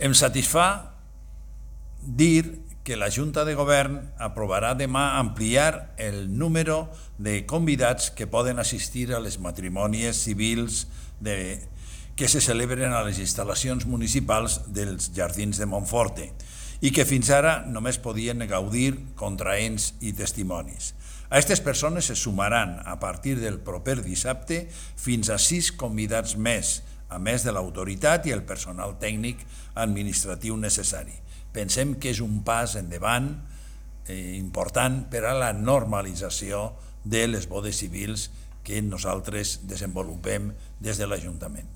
Em satisfà dir que la Junta de Govern aprovarà demà ampliar el número de convidats que poden assistir a les matrimònies civils que se celebren a les instal·lacions municipals dels Jardins de Montforte i que fins ara només podien gaudir contraents i testimonis. A aquestes persones se sumaran a partir del proper dissabte fins a 6 convidats més, a més de l'autoritat i el personal tècnic administratiu necessari. Pensem que és un pas endavant important per a la normalització de les bodes civils que nosaltres desenvolupem des de l'Ajuntament.